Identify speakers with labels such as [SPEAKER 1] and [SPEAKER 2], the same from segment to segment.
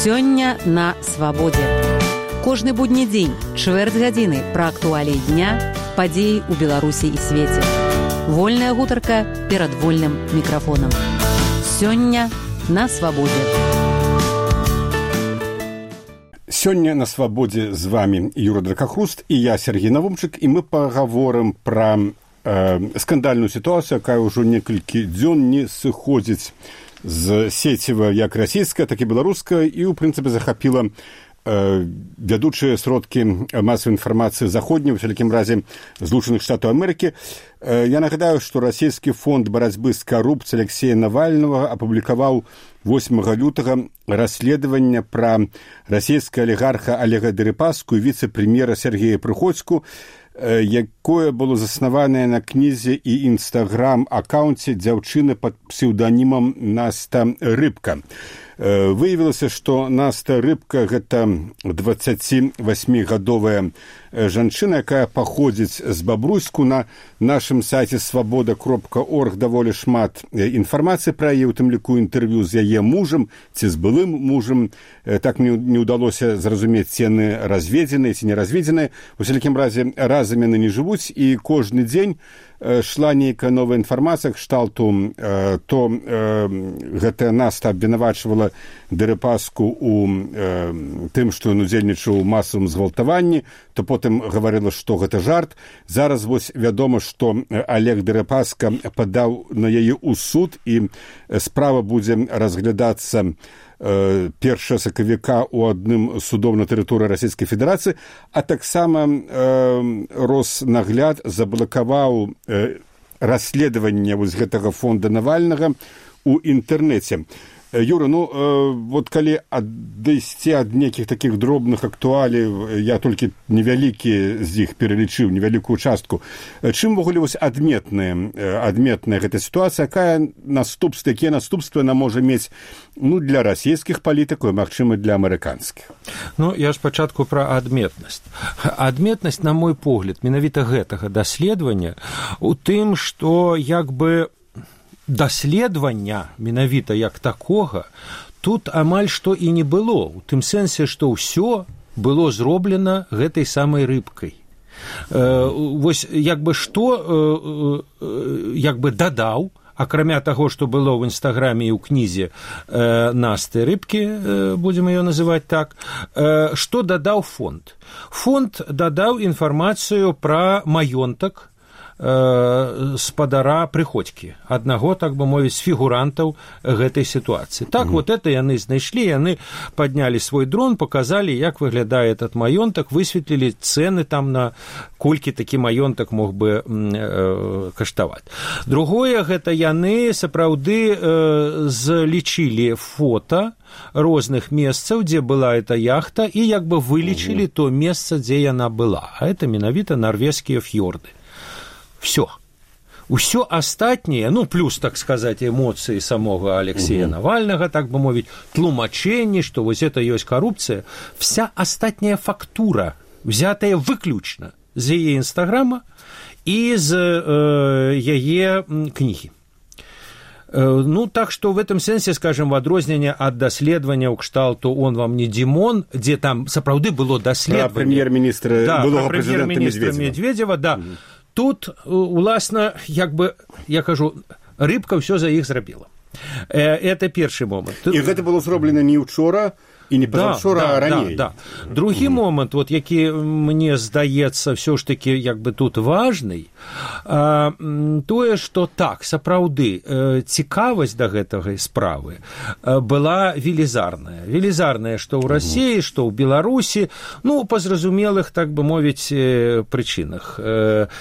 [SPEAKER 1] Сёння на свабодзе. Кожны будні дзень, чвэрць гадзіны пра актуаліі дня, падзеі ў Беларусі і свеце. Вольная гутарка перад вольным мікрафонам. Сёння на свабодзе.
[SPEAKER 2] Сёння на свабодзе з вами Юра Дракахруст і я, Сергей Навумчык, і мы пагаворым пра скандальную сітуацыю, якая ўжо некалькі дзён не сыходзіць з сеціва як расійская, так і беларуская, і, ў прынцыпе, захапіла вядучыя сродкі масавай інфармацыі заходняй, у всякім разе Злучаных Штатаў Амерыкі. Я нагадаю, што расійскі фонд барацьбы з карупцыяй Алексея Навальнага апублікаваў 8 лютага расследаванне пра расійскага алігарха Олега Дерипаску і віцэ-прэм'ера Сергея Прыходзьку, якое было заснаванае на кнізе і інстаграм-акаунце дзяўчыны пад псеўданімам Наста Рыбка. Выявілася, што Наста Рыбка – гэта 28-гадовая жанчына, якая паходзіць з Бабруйску. На нашым сайце свабода.орг даволі шмат інфармацыі пра яе, у тым ліку інтэрв'ю з яе мужам ці з былым мужам. Так мне не ўдалося зразумець, ці яны разведзеныя, ці не разведзеныя. У всякім разе разам яны не жывуць, і кожны дзень шла нейкая новая інфармацыя кшталту, то гэтая Наста абвінавачвала Дерипаску у тым, што ён удзельнічаў у масавым згвалтаванні, то потым гаварыла, што гэта жарт. Зараз вось вядома, што Олег Дерипаска падаў на яе ў суд, і справа будзе разглядацца 1 сакавіка ў адным судом на тэрыторыі Расійскай Федэрацыі, а таксама Роснагляд заблакаваў расследаванне вось гэтага фонда Навальнага ў інтэрнэце. Юра, вот калі адысці ад нейкіх такіх дробных актуалій, я толькі невялікі з іх пералічыў, невялікую частку. Чым вогуле вось адметная гэта сітуацыя, якія наступствы яна можа мець для расійскіх палітыкаў і, магчыма, для амерыканскіх?
[SPEAKER 3] Я ж спачатку пра адметнасць. Адметнасць, на мой погляд, менавіта гэтага даследавання у тым, што даследавання менавіта як такога тут амаль што і не было, у тым сэнсе, што ўсё было зроблена гэтай самай рыбкай. Вось што дадаў, акрамя таго, што было ў інстаграме і ў кнізе Насты Рыбкі, будзем ее называць так, што дадаў фонд? Фонд дадаў інфармацыю пра маёнтак спадара Прыходзькі, аднаго, так бы мовіць, з фігурантаў гэтай сітуацыі. Так, вот это яны знайшлі, яны паднялі свой дрон, паказалі, як выглядае этот маёнтак, высветлілі цэны там на колькі такі маёнтак мог бы каштаваць. Другое, гэта яны сапраўды злічылі фота розных месцаў, дзе была эта яхта, і вылічылі то месца, дзе яна была. А это менавіта нарвежскія фьорды. Усё астатняе, плюс, так сказаць, эмоцыі самога Алексея Навальнага, так бы мовіць, тлумачэнні, што вось это ёсць карупцыя, вся астатняя фактура, взятая выключна з яе інстаграма і з яе кнігі. Так што в этом сэнсе, скажем, в адрозненне ад даследавання ў кшталту «Он вам не Димон», дзе там сапраўды было даследаванне.
[SPEAKER 2] Пра прэм'ер-міністра, былога прэзідэнта
[SPEAKER 3] Медведзева, да. Тут, уласна, я кажу, Рыбка ўсё за іх зрабіла. Это першы момант.
[SPEAKER 2] І гэта было зроблена не ўчора, і не пазаўчора, а раней.
[SPEAKER 3] Другі момант, які мне здаецца ўсё ж такі тут важный, тое, што так, сапраўды, цікавасць да гэтай справы была велізарная. Велізарная, што ў Расіі, што ў Беларусі, па зразумелых, так бы мовіць, прычынах.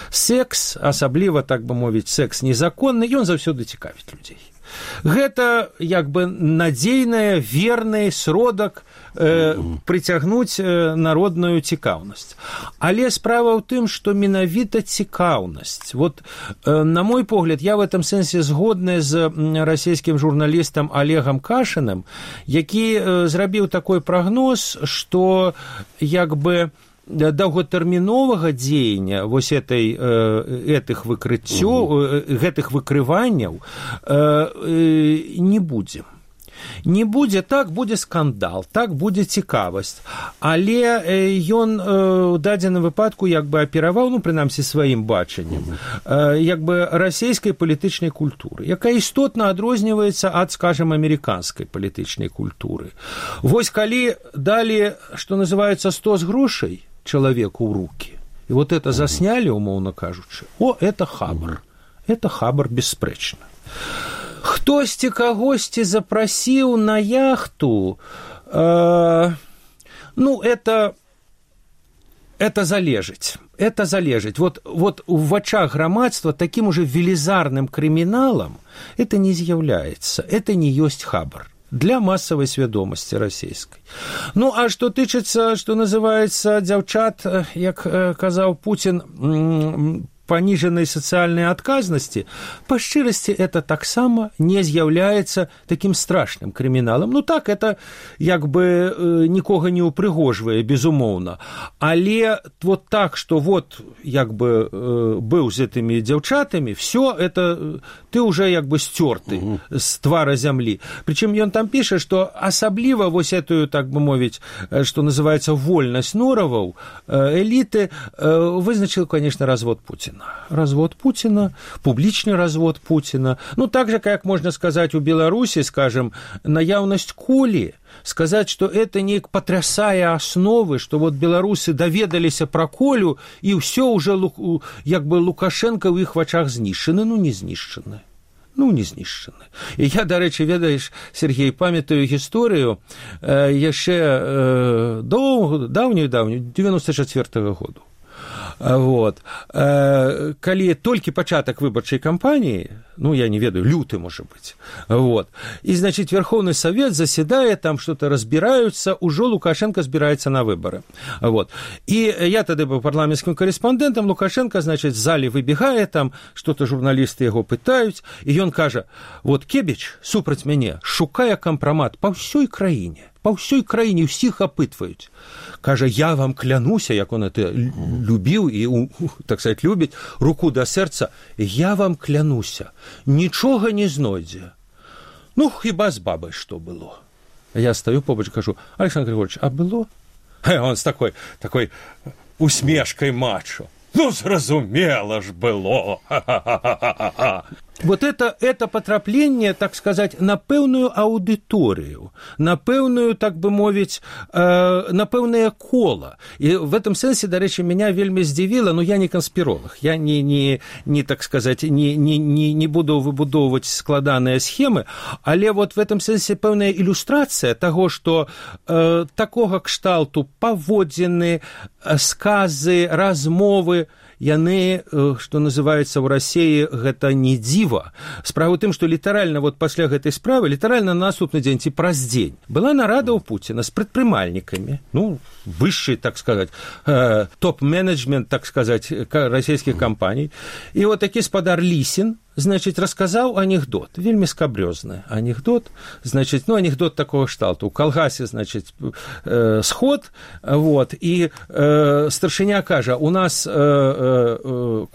[SPEAKER 3] Секс, асабліва, так бы мовіць, секс незаконны, ён заўсёды цікавіць людзей. Гэта надзейная, верны сродак прыцягнуць народную цікаўнасць. Але справа ў тым, што менавіта цікаўнасць. На мой погляд, я в этом сэнсе згодны з расійскім журналістам Олегам Кашиным, які зрабіў такой прагноз, што доўгатэрміновага дзеяння вось гэтых выкрыццёў, гэтых выкрыванняў не будзе. Не будзе, так будзе скандал, так будзе цікавасць. Але ён у дадзеным выпадку як бы апераваў, ну, прынамсі, сваім бачаннем, як бы расійскай палітычнай культуры, якая істотна адрозніваецца ад, скажем, амерыканскай палітычнай культуры. Вось калі далі, што называецца, 100 з грошай чалавеку ў рукі, і вот это засняли, умоўна кажучы, это хабар. Это хабар бясспрэчна. Хтосьці кагосьці запрасіў на яхту, ну, это залежыць. Это залежыць. Вот у вачах грамадства таким уже велізарным крыміналам это не з'яўляецца. Это не ёсць хабар для массовой свядомасці расійскай. Ну, а што тычыцца, што называецца, дзяўчат, як казаў Путін, пониженной социальной отказности, по шчырасці, это таксама не з'яўляецца таким страшным крыміналам. Ну так, это як бы нікога не упрыгожвае, безумоўна. Але вот так, что вот як бы быў з этими дзяўчатамі, все это ты уже як бы сцёрты з твара зямлі. Причем ён там піша, что асабліва вось эту, так бы мовіць, что называется вольнасць нораваў, эліты вызначил, конечно, развод Путина. Развод Путина, публичный развод Путина. Ну, так же, как можно сказать у Беларуси, скажем, наяўнасць Колі, сказать, что это не потрясая основы, что вот беларусы даведаліся про Колю, и все уже, як бы, Лукашенко в их вачах знішчаны. Ну, не знішчаны. Ну, не знішчаны. І я, дарэчы, ведаеш, Сергей, памятаю гісторыю яшчэ даўнюю, 94-го году. Вот. Калі толькі пачатак выбарчай кампаніі, ну, я не ведаю, люты, может быть, вот, и, значит, Верховный Совет заседает, там что-то разбираются, уже Лукашенко збираецца на выборы, вот, и я тогда был парламентским корреспондентом, Лукашенко, значит, в зале выбегает, там что-то журналисты его пытаюць, и он кажа, вот, Кебіч, супраць мяне, шукае кампрамат па ўсёй краіне, ўсіх апытваюць. Кажа, я вам клянуся, як он это любіў і, так сказать, любіць, руку да сэрца, я вам клянуся, нічога не знойдзе. Ну, хіба з бабай што было? Я стою побач, кажу, Александр Григорьевич, а было? Он с такой усмешкой мачо. Ну, зразумела ж было. Вот это потрапление, так сказать, на пэўную аўдыторыю, на пэўную, так бы мовіць, на пэўнае кола. И в этом сенсе, дарэчы, меня вельмі здзівіла, но я не конспиролог, я не так сказать, не буду выбудоўваць складаныя схемы, але вот в этом сенсе пэўная ілюстрацыя таго, што такога кшталту паводзіны, сказы, размовы, яны, што называецца ў Расіі, гэта не дзіва. Справа ў тым, што літаральна вот пасля гэтай справы, літаральна на наступны дзень ці праз дзень была нарада ў Пуціна з прадпрымальнікамі, ну, высший, так сказать, топ-менеджмент, так сказать, расійскіх кампаній. І вот такі спадар Лісін, значит, рассказал анекдот, вельмі скабрёзны анекдот, значит, ну, анекдот такого кшталту. У калгасе, значит, сход, вот, и старшыня кажа, у нас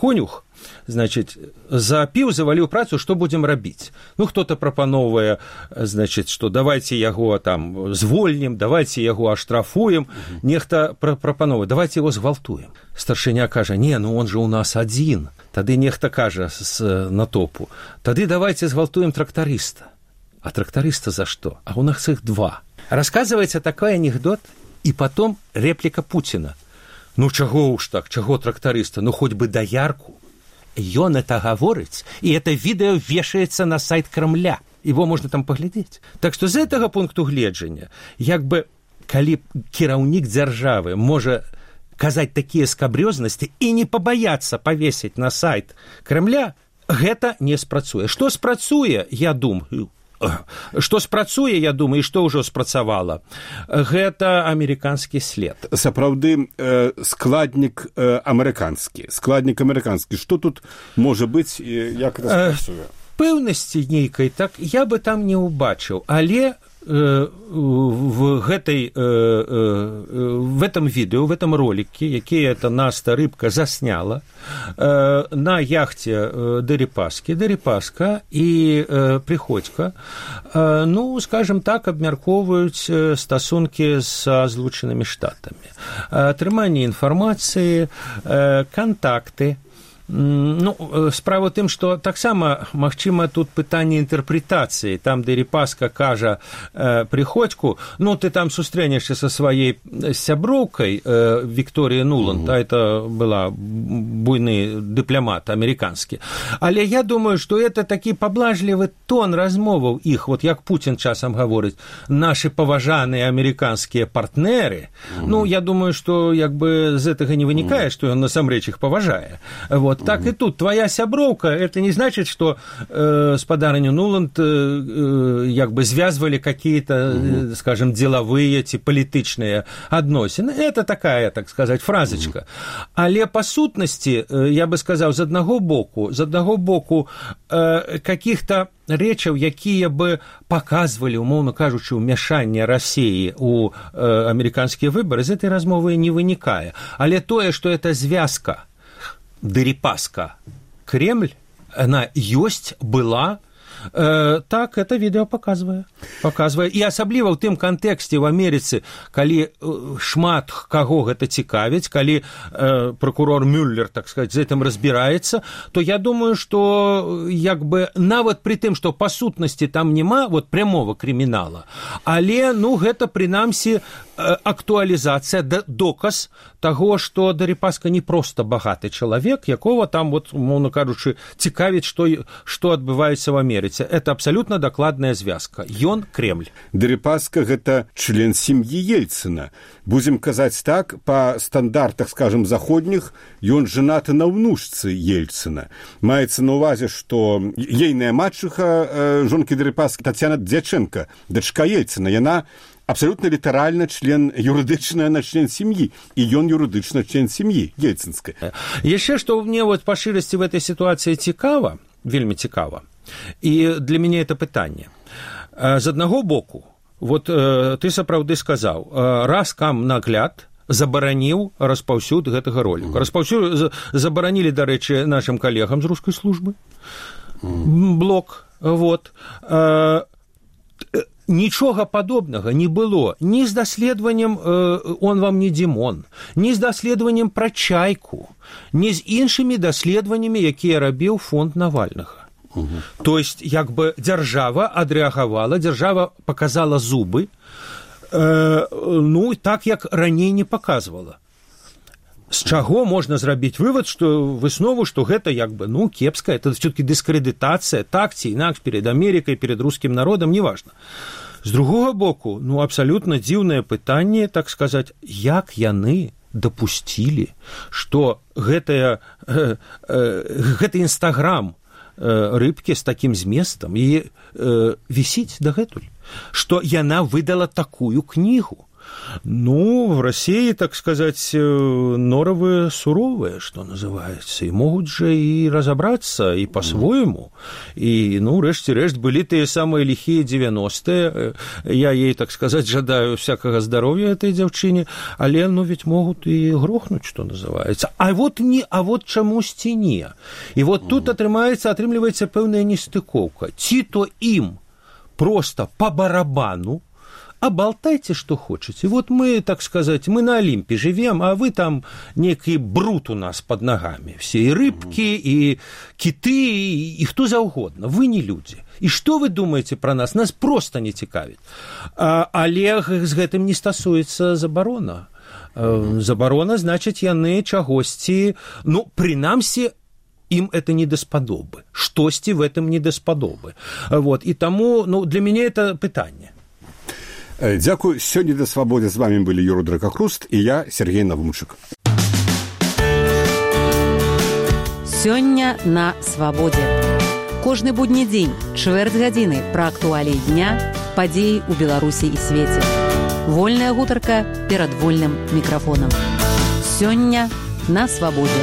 [SPEAKER 3] конюх, значит, запіў, заваліў працу, што будзем рабіць? Ну, хто-то прапановвае, значит, што давайте яго там звольнім, давайте яго аштрафуем, нехта прапановвае, давайте яго згвалтуем. Старшыня кажа, не, ну он же у нас адзін. Тады нехта кажа з натопу, тады давайте згвалтуем трактарыста. А трактарыста за што? А у нас их два. Рассказывается такой анекдот, и потом реплика Путина. Ну, чаго уж так, чаго трактарыста? Ну, хоть бы доярку. Ён это гаворыць, и это видео вешается на сайт Кремля. Его можно там поглядеть. Так что з гэтага пункту гледжання, як бы, калі кіраўнік дзяржавы можа казаць такія скабрёзнасці і не пабаяцца павесіць на сайт Кремля, гэта не спрацуе. Што спрацуе, я думаю, і што ўжо спрацавала, гэта амерыканскі след.
[SPEAKER 2] Сапраўды, складнік амерыканскі. Што тут можа быць, як это спрацуе?
[SPEAKER 3] Пэўнасці нейкай, так, я бы там не ўбачыў, але в этом видео, в этом ролике, який эта Наста Рыбка засняла на яхте Дерипаска і Приходько, ну, скажем так, абмяркоўваюць стасункі са Злучанымі Штатамі. Атрыманне інфармацыі, кантакты. Ну, справа тым, што таксама, магчыма, тут пытанне інтэрпрэтацыі. Там Дерипаска кажа Приходьку, ну, ты там сустрэнешся са сваей сяброўкай Вікторія Нуланд, а это была буйны дыпламат амерыканскі. Але я думаю, што это такі паблажлівы тон размоваў іх, вот як Путін часам гаворыць, нашы паважаныя амерыканскія партнеры. Ну, я думаю, што як бы з гэтага не вынікае, што ён насамрэч іх паважае. Вот. Так и тут. Твоя сяброўка, это не значит, что спадарню Нуланд как бы связывали какие-то, скажем, деловые, политичные относины. Это такая, так сказать, фразочка. Але по сутности, я бы сказал, з одного боку каких-то рэчаў, якія бы показывали, умоўна кажучы, ўмяшанне России у амерыканскія выборы, з этой размовы не вынікае. Але тое, что это звязка Дерипаска, Кремль, она ёсць, была, так, это відэо показвае. І асабліва ў тым кантэксце в Амерыцы, калі шмат каго гэта цікавіць, калі прокурор Мюллер, так сказать, з гэтым разбіраецца, то я думаю, што як бы нават пры тым, што па сутнасці там няма вот прямого крымінала, але, ну, гэта прынамсі актуалізацыя, доказ таго, што Дерипаска не проста багаты чалавек, якого там, вот, умоўна кажучы, цікавіць, што адбываецца в Амерыцы. Это абсолютно докладная звязка. Ён Кремль.
[SPEAKER 2] Дерипаска – гэта член сем'і Ельцина. Будем казаць так, па стандартах, скажем, заходніх, ён женаты на ўнучцы Ельцина. Маецца на ўвазе, што ейная мачыха жонкі Дерипаска Татьяна Дьяченко, дачка Ельцина, яна абсолютно літаральна юрыдычна член сем'і, і ён юрыдычна член сем'і ельцинскай.
[SPEAKER 3] Яшчэ, што мне вот па шырасці в этой ситуации цікава, вельмі цікава, і для мяне это пытанне. З аднаго боку, вот ты сапраўды сказаў, раз кам нагляд забараніў распаўсюд гэтага роліка. Забаранілі, дарэчы, нашим калегам з рускай службы. Блок, вот. Нічога падобнага не было ні з даследаваннем «Он вам не Димон», ні з даследаваннем пра Чайку, ні з іншымі даследаваннямі, якія рабіў фонд Навальнага. То есть, як бы дзяржава адрэагавала, дзяржава показала зубы, ну, так, як раней не показывала. З чаго можна зрабіць вывод, што выснову, што гэта як бы, ну, кепска, это все-таки дыскрэдытацыя, так ці інакш перед Амерыкай, перед рускім народам, неважна. З другога боку, ну, абсалютна дзіўнае пытанне, так сказаць, як яны дапусцілі, што гэты інстаграм Рыбкі з такім зместам і вісіць дагэтуль, што яна выдала такую кнігу. Ну, в России, так сказать, норовы суровые, что называется, и могут же и разобраться, и по-своему. И, ну, рэшце-рэшт, были те самые лихие 90-е. Я ей, так сказать, жадаю всякого здоровья этой девчине, але, ну, ведь могут и грохнуть, что называется. А вот чамусьці не. И вот тут атрымліваецца пэўная нестыкоўка. Ці то им просто по барабану, а болтайте, что хотите. Вот мы, так сказать, мы на Олимпе живем, а вы там некий бруд у нас под ногами. Все и рыбки, и киты, и кто заўгодна. Вы не люди. И что вы думаете про нас? Нас просто не цікавіць. Але з гэтым не стасуецца забарона. Забарона, значит, яны чагосьці, ну, прынамсі, им это не даспадобы. Штосьці в этом не даспадобы. Вот. И тому, ну, для меня это пытанне.
[SPEAKER 2] Дзякуй. Сёння да свабоды з вами былі Юра Дракахруст і я, Сергей Навумчык.
[SPEAKER 1] Сёння на свабодзе. Кожны будні дзень, чвэрць гадзіны пра актуаліі дня, падзеі ў Беларусі і свеце. Вольная гутарка перад вольным мікрафонам. Сёння на свабодзе.